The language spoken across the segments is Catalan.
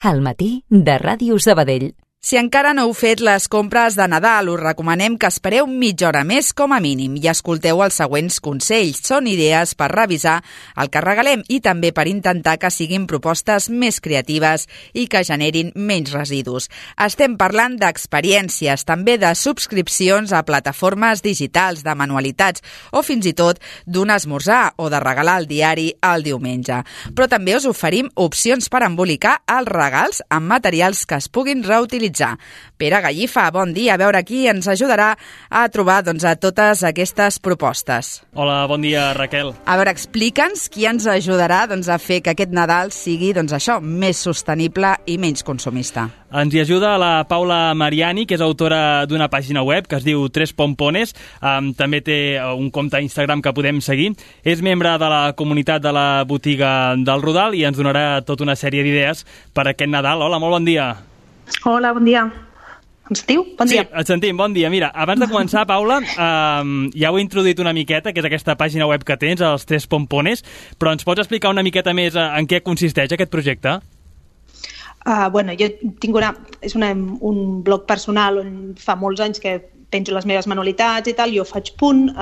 Al matí de Ràdio Sabadell. Si encara no heu fet les compres de Nadal, us recomanem que espereu mitja hora més com a mínim i escolteu els següents consells. Són idees per revisar el que regalem i també per intentar que siguin propostes més creatives i que generin menys residus. Estem parlant d'experiències, també de subscripcions a plataformes digitals, de manualitats o fins i tot d'un esmorzar o de regalar el diari el diumenge. Però també us oferim opcions per embolicar els regals amb materials que es puguin reutilitzar. Pere Gallifa, bon dia. A veure qui ens ajudarà a trobar a totes aquestes propostes. Hola, bon dia, Raquel. A veure, explica'ns qui ens ajudarà a fer que aquest Nadal sigui això, més sostenible i menys consumista. Ens hi ajuda la Paula Mariani, que és autora d'una pàgina web que es diu Tres Pompones. També té un compte a Instagram que podem seguir. És membre de la comunitat de la botiga del Rodal i ens donarà tota una sèrie d'idees per aquest Nadal. Hola, molt bon dia. Hola, bon dia. Em sentiu? Bon dia. Sí, et sentim, bon dia. Mira, abans de començar, Paula, ja ho he introduït una miqueta, que és aquesta pàgina web que tens, els Tres Pompones, però ens pots explicar una miqueta més en què consisteix aquest projecte? Jo tinc un blog personal on fa molts anys que penjo les meves manualitats i tal, jo faig punt,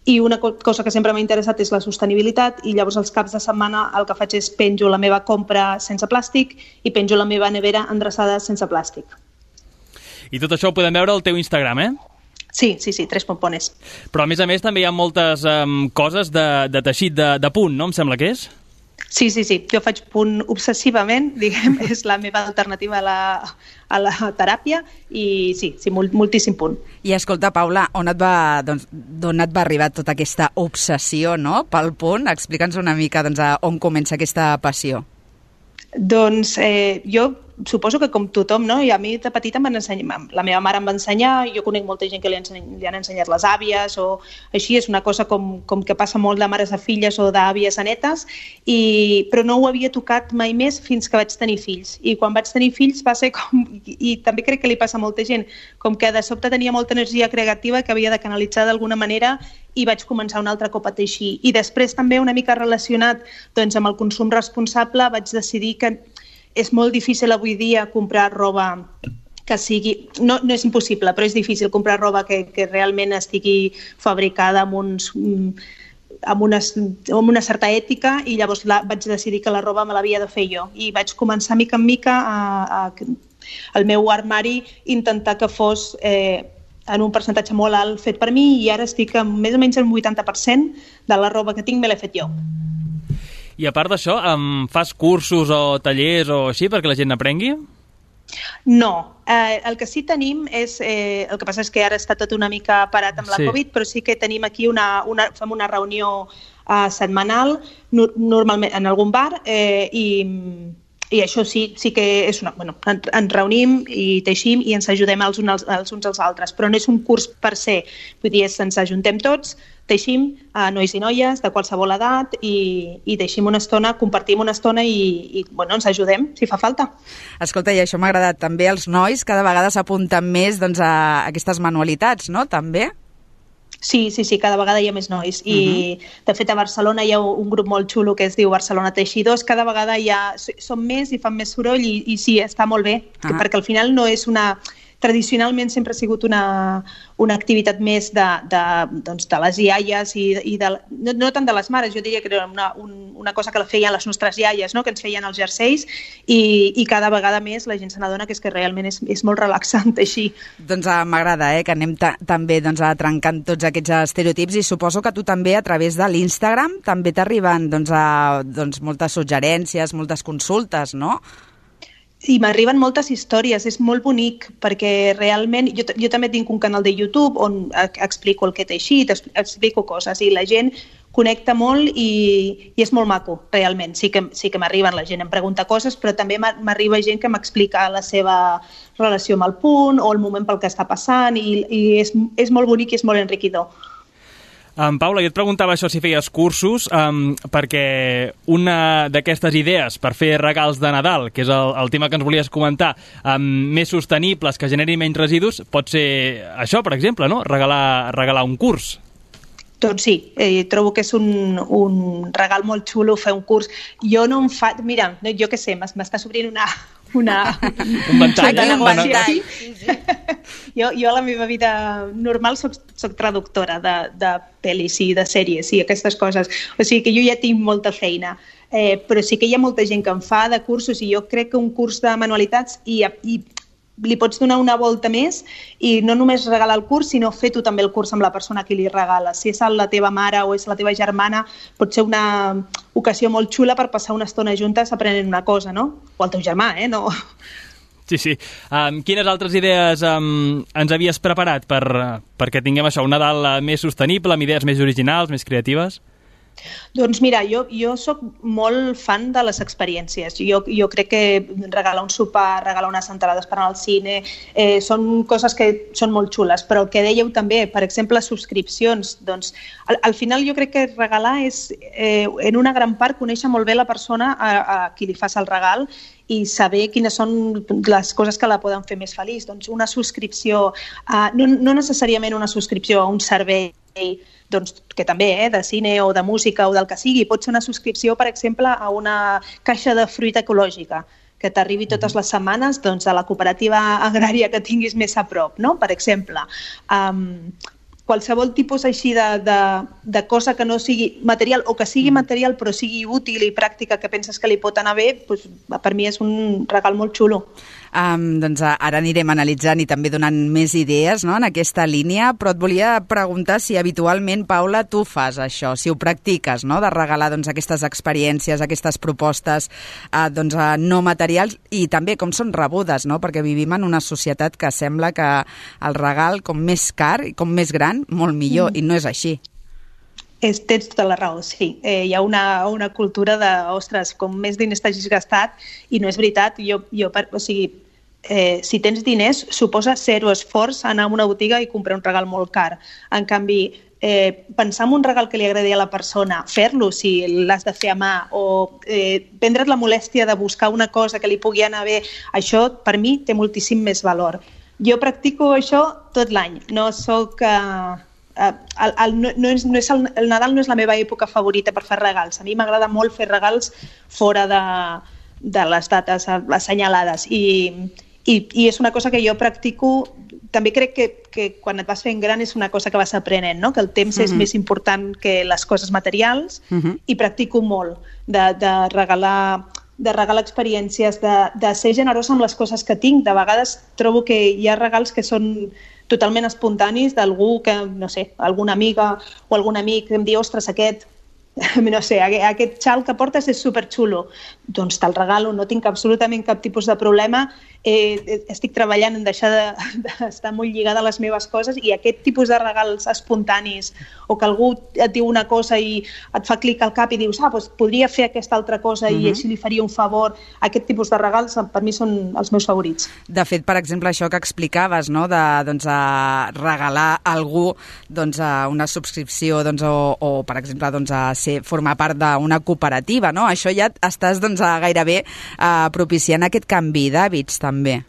i una cosa que sempre m'ha interessat és la sostenibilitat i llavors els caps de setmana el que faig és penjo la meva compra sense plàstic i penjo la meva nevera endreçada sense plàstic. I tot això ho podem veure al teu Instagram, eh? Sí, Tres Pompones. Però a més també hi ha moltes coses de teixit de punt, no? Em sembla que és? Sí. Jo faig punt obsessivament, diguem, és la meva alternativa a la teràpia i sí, moltíssim punt. I escolta, Paula, d'on et va arribar tota aquesta obsessió, no?, pel punt? Explica'ns una mica on comença aquesta passió. Doncs jo suposo que com tothom, no? I a mi de petita la meva mare em va ensenyar, jo conec molta gent que li han ensenyat les àvies o així, és una cosa com que passa molt de mares a filles o d'àvies a netes, però no ho havia tocat mai més fins que vaig tenir fills. I quan vaig tenir fills va ser i també crec que li passa a molta gent, com que de sobte tenia molta energia creativa que havia de canalitzar d'alguna manera i vaig començar un altre cop a teixir. I després també una mica relacionat amb el consum responsable vaig decidir que és molt difícil avui dia comprar roba que sigui... No és impossible, però és difícil comprar roba que realment estigui fabricada amb una certa ètica i llavors vaig decidir que la roba me l'havia de fer jo. I vaig començar mica en mica al meu armari intentar que fos en un percentatge molt alt fet per mi i ara estic més o menys el 80% de la roba que tinc me l'he fet jo. I a part d'això, fas cursos o tallers o així perquè la gent aprengui? No. El que sí tenim és... el que passa és que ara està tot una mica parat amb la Covid, però sí que tenim aquí fem una reunió setmanal, normalment en algun bar, i això sí que és ens reunim i teixim i ens ajudem els uns als altres, però no és un curs per se, vull dir, ens ajuntem tots, teixim, nois i noies de qualsevol edat i teixim una estona, compartim una estona i ens ajudem si fa falta. Escolta, i això m'ha agradat també, els nois cada vegada s'apunten més a aquestes manualitats, no? També? Sí, cada vegada hi ha més nois i de fet a Barcelona hi ha un grup molt xulo que es diu Barcelona Teixidors, cada vegada són més i fan més soroll i sí, està molt bé, perquè al final no és tradicionalment sempre ha sigut una activitat més de les iaies i no tant de les mares, jo diria que era una cosa que la feien les nostres iaies, no? Que ens feien els jerseis i cada vegada més la gent se n'adona que és que realment és molt relaxant així. Doncs m'agrada que anem també trencant tots aquests estereotips i suposo que tu també a través de l'Instagram també t'arriben moltes suggerències, moltes consultes, no? I m'arriben moltes històries, és molt bonic, perquè realment jo també tinc un canal de YouTube on explico el que he teixit, explico coses i la gent connecta molt i és molt maco, realment. Sí que m'arriben, la gent em pregunta coses, però també m'arriba gent que m'explica la seva relació amb el punt o el moment pel que està passant i és molt bonic i és molt enriquidor. Paula, jo et preguntava això si feies cursos, perquè una d'aquestes idees per fer regals de Nadal, que és el tema que ens volies comentar, més sostenibles, que generin menys residus, pot ser això, per exemple, no? Regalar un curs. Doncs sí, trobo que és un regal molt xulo fer un curs. Jo no em fa... Mira, jo què sé, m'està s'obrint un ventall, negoci. Jo a la meva vida normal soc traductora de pel·lis i de sèries i aquestes coses. O sigui que jo ja tinc molta feina. Però sí que hi ha molta gent que en fa de cursos i jo crec que un curs de manualitats i li pots donar una volta més i no només regalar el curs, sinó fer tu també el curs amb la persona a qui li regales. Si és la teva mare o és la teva germana, pot ser una ocasió molt xula per passar una estona juntes aprenent una cosa, no? O el teu germà, no? Sí. Quines altres idees ens havies preparat perquè tinguem això, un Nadal més sostenible, amb idees més originals, més creatives? Doncs mira, jo soc molt fan de les experiències. Jo crec que regalar un sopar, regalar unes entrades per anar al cine, són coses que són molt xules, però el que dèieu també, per exemple, subscripcions, doncs al final jo crec que regalar és, en una gran part, conèixer molt bé la persona a qui li fas el regal i saber quines són les coses que la poden fer més feliç. Doncs una subscripció, no necessàriament una subscripció a un servei, doncs, que també, de cine o de música o del que sigui, pot ser una subscripció, per exemple, a una caixa de fruita ecològica que t'arribi totes les setmanes doncs, a la cooperativa agrària que tinguis més a prop, no? Per exemple. Qualsevol tipus així de cosa que no sigui material o que sigui material però sigui útil i pràctica que penses que li pot anar bé, doncs, per mi és un regal molt xulo. Doncs ara anirem analitzant i també donant més idees, no?, en aquesta línia, però et volia preguntar si habitualment, Paula, tu fas això, si ho practiques, no?, de regalar doncs, aquestes experiències, aquestes propostes doncs, no materials i també com són rebudes, no?, perquè vivim en una societat que sembla que el regal com més car i com més gran, molt millor, i no és així. Tens tota la raó, sí. Hi ha una cultura de, ostres, com més diners t'hagis gastat, i no és veritat. O sigui, si tens diners, suposa zero esforç anar a una botiga i comprar un regal molt car. En canvi, pensar en un regal que li agradi a la persona, fer-lo si l'has de fer a mà, o prendre't la molèstia de buscar una cosa que li pugui anar bé, això per mi té moltíssim més valor. Jo practico això tot l'any. No soc... el Nadal no és la meva època favorita per fer regals. A mi m'agrada molt fer regals fora de les dates assenyalades i és una cosa que jo practico. També crec que quan et vas fent gran és una cosa que vas aprenent, no? Que el temps és més important que les coses materials i practico molt de regalar experiències, de ser generosa amb les coses que tinc. De vegades trobo que hi ha regals que són totalment espontanis d'algú que, no sé, alguna amiga o algun amic que em diu, ostres, aquest xal que portes és superxulo. Doncs te'l regalo, no tinc absolutament cap tipus de problema. Estic treballant en deixar d'estar molt lligada a les meves coses i aquest tipus de regals espontanis o que algú et diu una cosa i et fa clic al cap i dius, doncs podria fer aquesta altra cosa i així li faria un favor. Aquest tipus de regals per mi són els meus favorits. De fet, per exemple, això que explicaves, no? De regalar a algú una subscripció o per exemple, formar part d'una cooperativa, no? Això ja estàs gairebé propiciant aquest canvi d'hàbits també.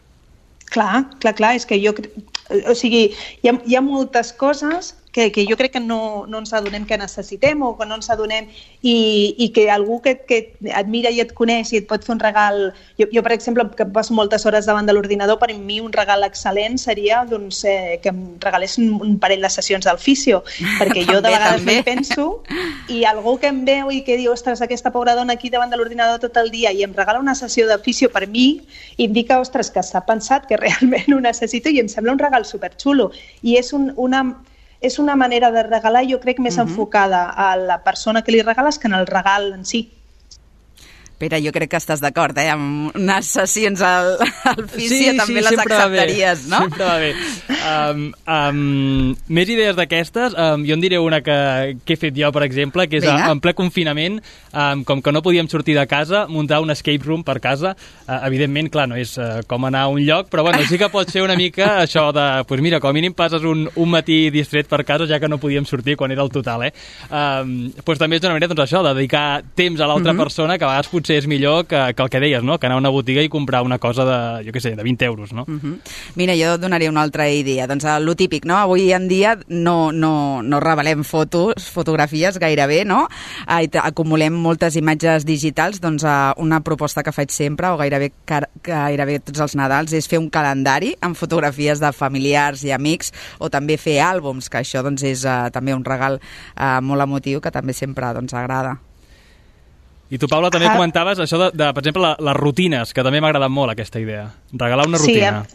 Clar, és que o sigui, hi ha moltes coses que jo crec que no ens adonem que necessitem o que no ens adonem i que algú que et mira i et coneix i et pot fer un regal... Jo per exemple, que passo moltes hores davant de l'ordinador, per mi un regal excel·lent seria que em regalessin un parell de sessions del fisio, perquè jo de vegades m'hi penso i algú que em veu i que diu, ostres, aquesta pobra dona aquí davant de l'ordinador tot el dia i em regala una sessió de fisio, per mi indica, ostres, que s'ha pensat que realment ho necessito i em sembla un regal superxulo. I és una manera de regalar, jo crec, més enfocada a la persona que li regales que en el regal en si. Pere, jo crec que estàs d'acord, amb unes sessions al fisio també les acceptaries, no? Sempre va bé. Més idees d'aquestes, jo en diré una que he fet jo, per exemple, que és en ple confinament, com que no podíem sortir de casa, muntar un escape room per casa. Evidentment, clar, no és com anar a un lloc, però bueno, sí que pot ser una mica això de, doncs mira, com a mínim passes un matí distret per casa, ja que no podíem sortir quan era el total, Doncs també és una manera, doncs això, de dedicar temps a l'altra persona, que a vegades potser és millor que el que deies, no? Que anar a una botiga i comprar una cosa de, jo què sé, de 20 euros, no? Mira, jo donaria una altra idea dia? Doncs lo típic, no? Avui en dia no revelem fotografies gairebé, no? Acumulem moltes imatges digitals, doncs una proposta que faig sempre, o gairebé tots els Nadals, és fer un calendari amb fotografies de familiars i amics, o també fer àlbums, que això doncs, és també un regal molt emotiu que també sempre doncs, agrada. I tu, Paula, també comentaves això de per exemple, les rutines, que també m'ha agradat molt aquesta idea. Regalar una rutina.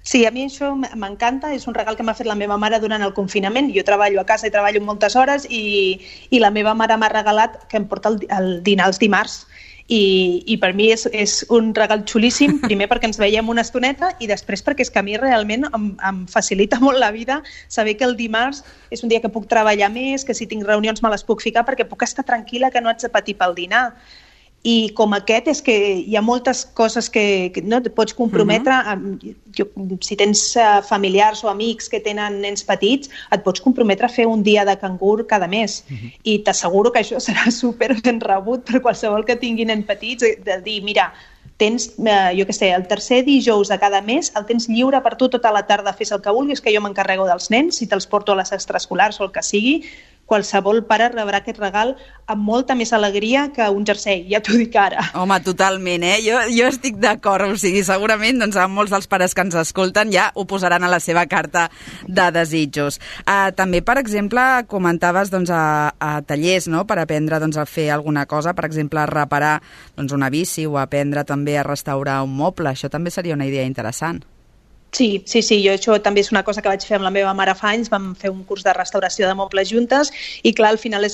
Sí, a mi això m'encanta, és un regal que m'ha fet la meva mare durant el confinament. Jo treballo a casa i treballo moltes hores i la meva mare m'ha regalat que em porta el dinar els dimarts. I per mi és un regal xulíssim, primer perquè ens veiem una estoneta i després perquè és que a mi realment em facilita molt la vida saber que el dimarts és un dia que puc treballar més, que si tinc reunions me les puc ficar perquè puc estar tranquil·la que no haig de patir pel dinar. I com aquest és que hi ha moltes coses que no et pots comprometre. Si tens familiars o amics que tenen nens petits, et pots comprometre a fer un dia de cangur cada mes. I t'asseguro que això serà super ben rebut per qualsevol que tingui nens petits, de dir, mira, tens, jo què sé, el tercer dijous de cada mes el tens lliure per tu tota la tarda, fes el que vulguis, que jo m'encarrego dels nens, si te'ls porto a les extraescolars o el que sigui. Qualsevol pare rebrà aquest regal amb molta més alegria que un jersei, ja t'ho dic ara. Home, totalment, Jo estic d'acord, o sigui, segurament doncs, molts dels pares que ens escolten ja ho posaran a la seva carta de desitjos. També, per exemple, comentaves doncs, a tallers, no?, per aprendre doncs, a fer alguna cosa, per exemple, a reparar doncs, una bici o aprendre també a restaurar un moble. Això també seria una idea interessant. Sí, jo això també és una cosa que vaig fer amb la meva mare fa anys, vam fer un curs de restauració de mobles juntes i clar, al final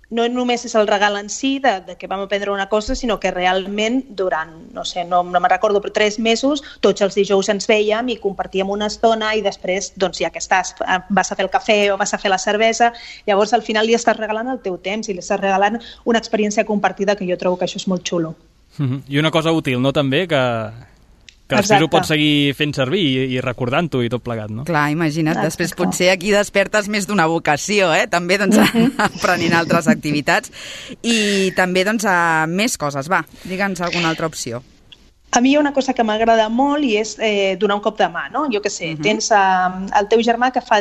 no només és el regal en si de que vam aprendre una cosa, sinó que realment durant, no me'n recordo, però 3 mesos, tots els dijous ens vèiem i compartíem una estona i després, doncs ja que estàs, vas a fer el cafè o vas a fer la cervesa, llavors al final li estàs regalant el teu temps i li estàs regalant una experiència compartida que jo trobo que això és molt xulo. I una cosa útil, no?, també, que després ho pots seguir fent servir i recordant-ho i tot plegat, no? Clar, imagina't, després potser aquí despertes més d'una vocació, també, doncs, aprenent altres activitats. I també, doncs, més coses. Va, digue'ns alguna altra opció. A mi hi ha una cosa que m'agrada molt i és donar un cop de mà, no? Jo què sé, tens el teu germà que fa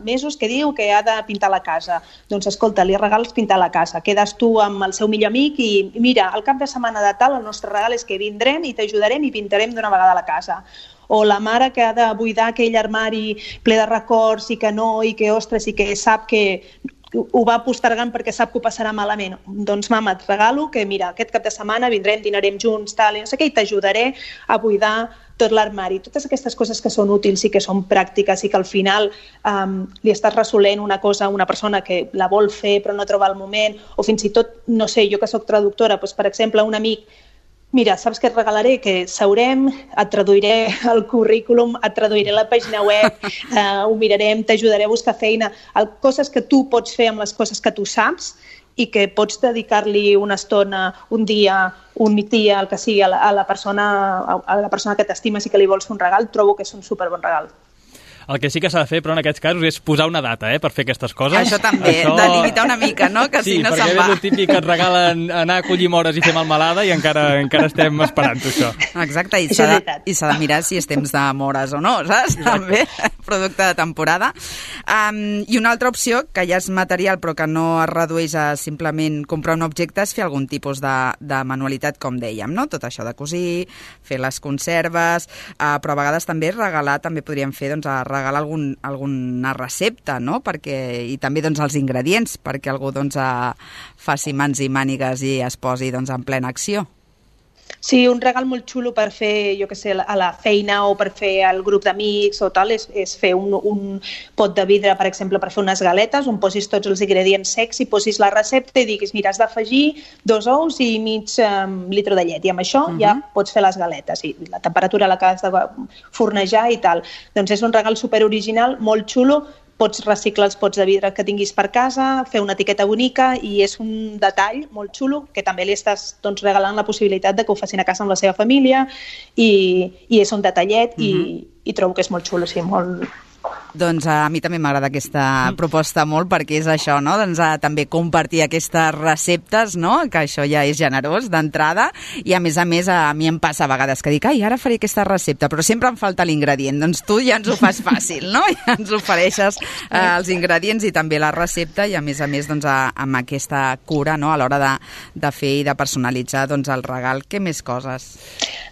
mesos que diu que ha de pintar la casa. Doncs escolta, li regales pintar la casa. Quedes tu amb el seu millor amic i mira, al cap de setmana de tal, el nostre regal és que vindrem i t'ajudarem i pintarem d'una vegada la casa. O la mare que ha de buidar aquell armari ple de records i que ostres, i que sap que ho va postergant perquè sap que ho passarà malament. Doncs mama, et regalo que mira, aquest cap de setmana vindrem, dinarem junts, tal, i no sé què, i t'ajudaré a buidar tot l'armari. Totes aquestes coses que són útils i que són pràctiques i que al final li estàs resolent una cosa a una persona que la vol fer però no troba el moment, o fins i tot, no sé, jo que soc traductora, doncs, per exemple, un amic, mira, saps què et regalaré? Que seurem, et traduiré el currículum, et traduiré la pàgina web, ho mirarem, t'ajudaré a buscar feina, coses que tu pots fer amb les coses que tu saps i que pots dedicar-li una estona, un dia, un migdia, el que sigui, a la persona que t'estimes i que li vols fer un regal, trobo que és un superbon regal. El que sí que s'ha de fer, però en aquests casos, és posar una data, per fer aquestes coses. Això també, de limitar una mica, no? Que si no se'n va. Sí, perquè és el típic que et regalen anar a collir mores i fer malmelada i encara estem esperant això. Exacte, i s'ha de mirar si és temps de mores o no, saps? També, producte de temporada. I una altra opció, que ja és material però que no es redueix a simplement comprar un objecte, és fer algun tipus de manualitat, com dèiem, no? Tot això de cosir, fer les conserves, però a vegades també regalar, també podríem fer, doncs, regalar alguna recepta, no? I també doncs, els ingredients, perquè algú doncs, faci mans i mànigues i es posi doncs, en plena acció. Sí, un regal molt xulo per fer, jo què sé, a la feina o per fer al grup d'amics o tal, és fer un pot de vidre, per exemple, per fer unes galetes, on posis tots els ingredients secs i posis la recepta i diguis, mira, has d'afegir 2 ous i mig litre de llet, i amb això ja pots fer les galetes, i la temperatura a la que has de fornejar i tal. Doncs és un regal superoriginal, molt xulo, pots reciclar els pots de vidre que tinguis per casa, fer una etiqueta bonica i és un detall molt xulo que també li estàs regalant la possibilitat de que ho facin a casa amb la seva família i és un detallet i trobo que és molt xulo, sí, molt Doncs a mi també m'agrada aquesta proposta molt, perquè és això, no? Doncs també compartir aquestes receptes, no? Que això ja és generós d'entrada, i a més a mi em passa a vegades que dic, ai, ara faré aquesta recepta, però sempre em falta l'ingredient. Doncs tu ja ens ho fas fàcil, no? Ja ens ofereixes els ingredients i també la recepta, i a més doncs amb aquesta cura, no? A l'hora de fer i de personalitzar doncs el regal. Què més coses?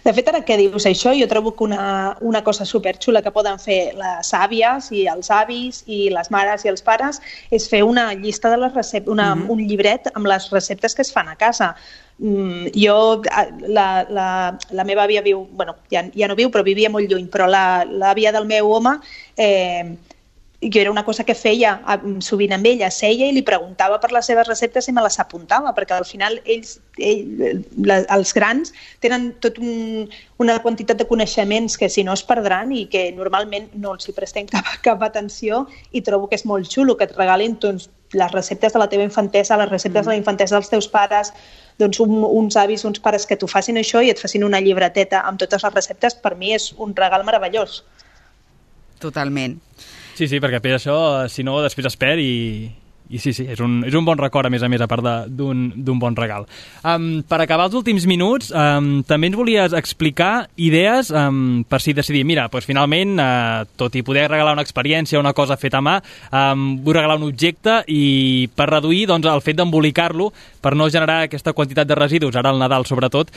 De fet, ara que dius això, jo trobo que una cosa superxula que poden fer les àvies i els avis i les mares i els pares és fer una llista de les receptes, un llibret amb les receptes que es fan a casa. Jo, la meva àvia viu, bueno, ja no viu, però vivia molt lluny, però l'àvia del meu home, jo era una cosa que feia sovint amb ella, seia i li preguntava per les seves receptes i me les apuntava, perquè al final els grans tenen tot una quantitat de coneixements que si no es perdran i que normalment no els hi prestem cap atenció, i trobo que és molt xulo que et regalin doncs, les receptes de la teva infantesa, les receptes de la infantesa dels teus pares, doncs uns avis, uns pares que t'ho facin això i et facin una llibreteta amb totes les receptes. Per mi és un regal meravellós. Totalment. Sí, perquè per això, si no, després es perd i sí, és un bon record, a més, a part d'un bon regal. Per acabar els últims minuts, també ens volies explicar idees per si decidir, mira, doncs finalment, tot i poder regalar una experiència, una cosa feta a mà, vull regalar un objecte, i per reduir doncs, el fet d'embolicar-lo, per no generar aquesta quantitat de residus, ara al Nadal sobretot,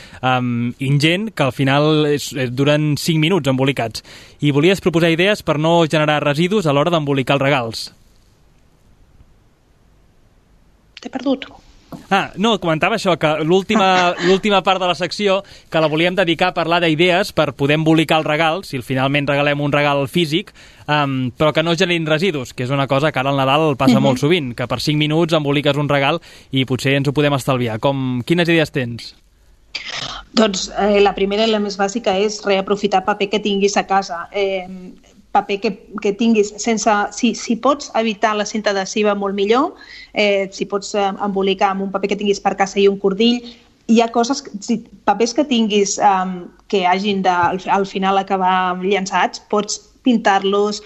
ingent, que al final duren 5 minuts embolicats. I volies proposar idees per no generar residus a l'hora d'embolicar els regals. T'he perdut. No, comentava això, que l'última part de la secció, que la volíem dedicar a parlar d'idees per poder embolicar el regal, si finalment regalem un regal físic, però que no generin residus, que és una cosa que ara al Nadal passa molt sovint, que per 5 minuts emboliques un regal i potser ens ho podem estalviar. Quines idees tens? Doncs la primera i la més bàsica és reaprofitar paper que tinguis a casa. Paper que tinguis si pots evitar la cinta adhesiva, molt millor. Si pots embolicar amb un paper que tinguis per casa i un cordill. Hi ha coses, papers que tinguis que hagin de al final acabar llançats, pots pintar-los,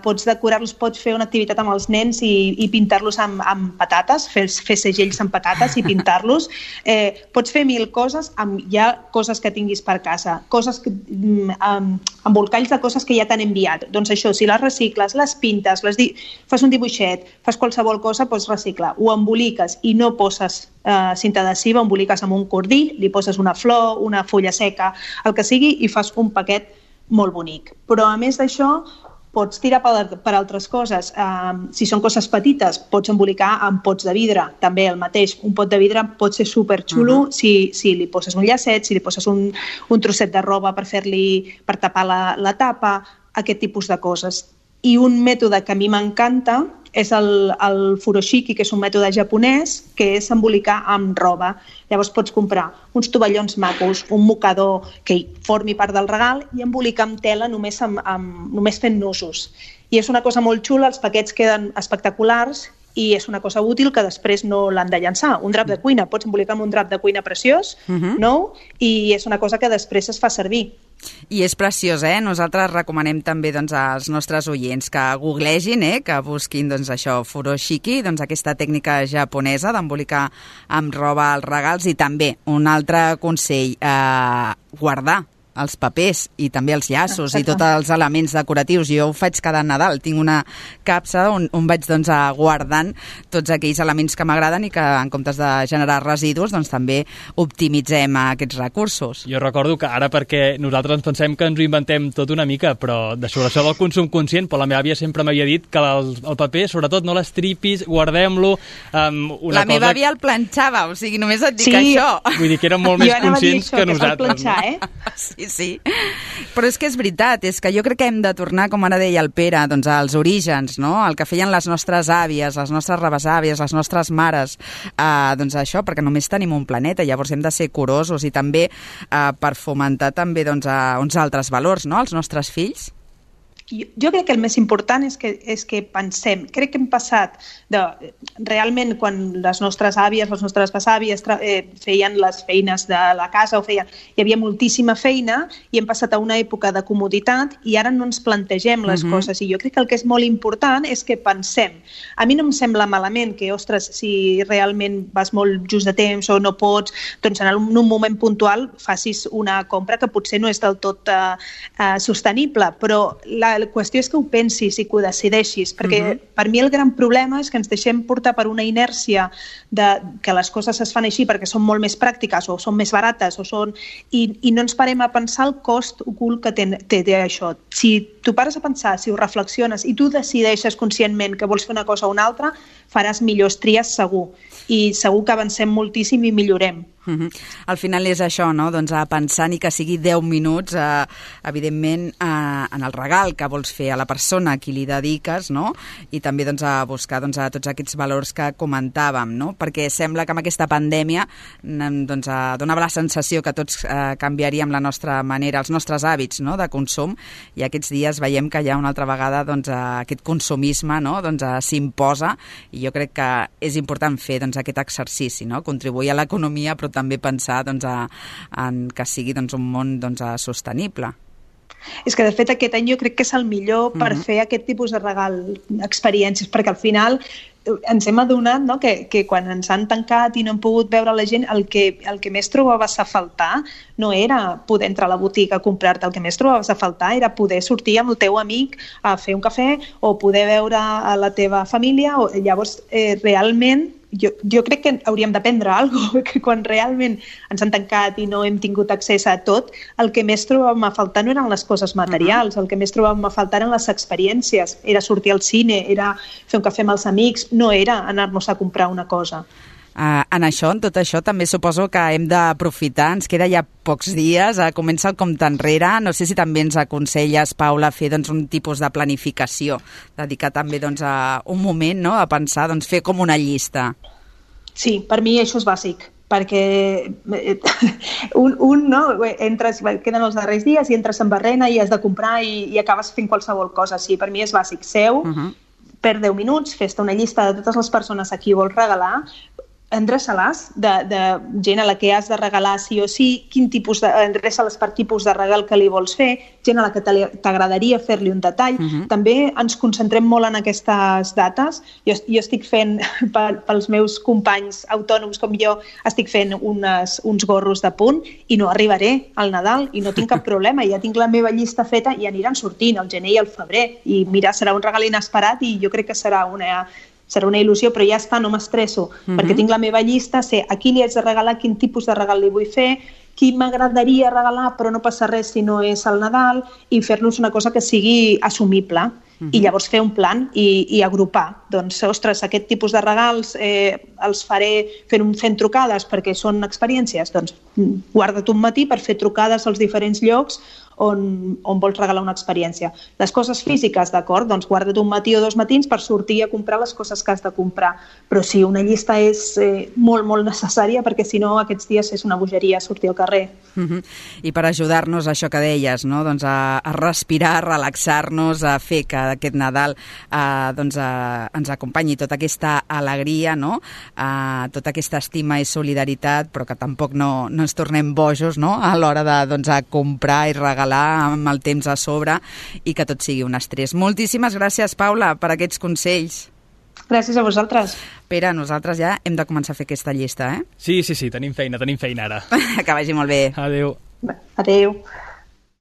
pots decorar-los, pots fer una activitat amb els nens i pintar-los amb patates, fer segells amb patates i pintar-los. Pots fer 1000 coses amb ja coses que tinguis per casa, embolcalls de coses que ja t'han enviat. Doncs això, si les recicles, les pintes, fas un dibuixet, fas qualsevol cosa, pots reciclar. Ho emboliques i no poses cinta adhesiva, emboliques amb un cordill, li poses una flor, una fulla seca, el que sigui, i fas un paquet molt bonic. Però a més d'això pots tirar per altres coses. Si són coses petites, pots embolicar amb pots de vidre. També el mateix, un pot de vidre pot ser superxulo si li poses un llacet, si li poses un trosset de roba per tapar la tapa, aquest tipus de coses. I un mètode que a mi m'encanta és el furoshiki, que és un mètode japonès, que és embolicar amb roba. Llavors pots comprar uns tovallons macos, un mocador que formi part del regal, i embolicar amb tela només fent nusos. I és una cosa molt xula, els paquets queden espectaculars i és una cosa útil que després no l'han de llançar. Un drap de cuina, pots embolicar amb un drap de cuina preciós, nou, i és una cosa que després es fa servir. I és preciós, Nosaltres recomanem també als nostres oients que googlegin, que busquin això, furoshiki, aquesta tècnica japonesa d'embolicar amb roba els regals. I també un altre consell, guardar els papers i també els llaços i tots els elements decoratius. Jo ho faig cada Nadal, tinc una capsa on vaig guardant tots aquells elements que m'agraden i que en comptes de generar residus també optimitzem aquests recursos. Jo recordo que ara, perquè nosaltres ens pensem que ens ho inventem tot una mica, però sobre això del consum conscient, però la meva àvia sempre m'havia dit que el paper, sobretot no l'estripis, guardem-lo. La meva àvia el planxava, o sigui, només et dic això. Vull dir que eren molt més conscients que nosaltres. Sí. Però és que és veritat, és que jo crec que hem de tornar, com ara deia el Pere, als orígens, no? El que feien les nostres àvies, les nostres rebesàvies, les nostres mares, això, perquè només tenim un planeta, llavors hem de ser curosos i també per fomentar també uns altres valors, no?, als nostres fills. jo crec que el més important és que pensem. Crec que hem passat realment quan les nostres àvies, les nostres besàvies feien les feines de la casa hi havia moltíssima feina i hem passat a una època de comoditat i ara no ens plantegem les coses. I jo crec que el que és molt important és que pensem. A mi no em sembla malament que, ostres, si realment vas molt just de temps o no pots, doncs en un moment puntual facis una compra que potser no és del tot sostenible, però la qüestió és que ho pensis i que ho decideixis, perquè per mi el gran problema és que ens deixem portar per una inèrcia que les coses es fan així perquè són molt més pràctiques o són més barates i no ens parem a pensar el cost ocult que té això. Si tu pares a pensar, si ho reflexiones i tu decideixes conscientment que vols fer una cosa o una altra, faràs millors tries segur. I segur que avancem moltíssim i millorem. Al final és això, no? Doncs a pensar ni que sigui 10 minuts, evidentment, en el regal que vols fer a la persona a qui li dediques, no? I també doncs, a buscar doncs, a tots aquests valors que comentàvem, no? Perquè sembla que amb aquesta pandèmia doncs, donava la sensació que tots canviaríem la nostra manera, els nostres hàbits, no? De consum, i aquests dies veiem que ja una altra vegada doncs, aquest consumisme, no? Doncs, s'imposa, i jo crec que és important fer doncs, aquest exercici, no? Contribuir a l'economia, però també pensar doncs, en que sigui doncs, un món doncs, sostenible. És que, de fet, aquest any jo crec que és el millor per fer aquest tipus de regal, experiències, perquè al final ens hem adonat, no, que quan ens han tancat i no hem pogut veure la gent, el que més trobaves a faltar no era poder entrar a la botiga a comprar-te, el que més trobaves a faltar era poder sortir amb el teu amic a fer un cafè o poder veure a la teva família. Llavors, realment, jo crec que hauríem d'aprendre alguna cosa, que quan realment ens han tancat i no hem tingut accés a tot, el que més trobàvem a faltar no eren les coses materials, el que més trobàvem a faltar eren les experiències, era sortir al cine, era fer un cafè amb els amics, no era anar-nos a comprar una cosa. En tot això, també suposo que hem d'aprofitar, ens queda ja pocs dies, comença el compte enrere, no sé si també ens aconselles, Paula, fer doncs, un tipus de planificació, dedicar també doncs, a un moment, no?, a pensar, doncs, fer com una llista. Sí, per mi això és bàsic, perquè queden els darrers dies i entres en barrena i has de comprar i acabes fent qualsevol cosa. Sí, per mi és bàsic. Seu, per 10 minuts, fes-te una llista de totes les persones a qui vols regalar, endreça-les de gent a la que has de regalar sí o sí, endreça-les per tipus de regal que li vols fer, gent a la que t'agradaria fer-li un detall. També ens concentrem molt en aquestes dates. Jo estic fent, pels meus companys autònoms com jo, estic fent uns gorros de punt i no arribaré al Nadal i no tinc cap problema, ja tinc la meva llista feta i aniran sortint al gener i al febrer i mira, serà un regal inesperat i jo crec que serà una il·lusió, però ja està, no m'estresso, perquè tinc la meva llista, sé a qui li haig de regalar, quin tipus de regal li vull fer, qui m'agradaria regalar, però no passa res si no és el Nadal, i fer-nos una cosa que sigui assumible. I llavors fer un plan i agrupar. Doncs, ostres, aquest tipus de regals els faré fent trucades perquè són experiències. Doncs guarda't un matí per fer trucades als diferents llocs on vols regalar una experiència. Les coses físiques, d'acord, doncs guarda't un matí o 2 matins per sortir a comprar les coses que has de comprar. Però sí, una llista és molt, molt necessària perquè si no aquests dies és una bogeria sortir al carrer. I per ajudar-nos a això que deies, no? Doncs a respirar, a relaxar-nos, a fer que aquest Nadal ens acompanyi tota aquesta alegria, no? Tota aquesta estima i solidaritat, però que tampoc no ens tornem bojos, no? A l'hora de comprar i regalar amb el temps a sobre i que tot sigui un estrès. Moltíssimes gràcies, Paula, per aquests consells. Gràcies a vosaltres. Pere, nosaltres ja hem de començar a fer aquesta llista, eh? Sí, tenim feina ara. Que vagi molt bé. Adéu. Adéu.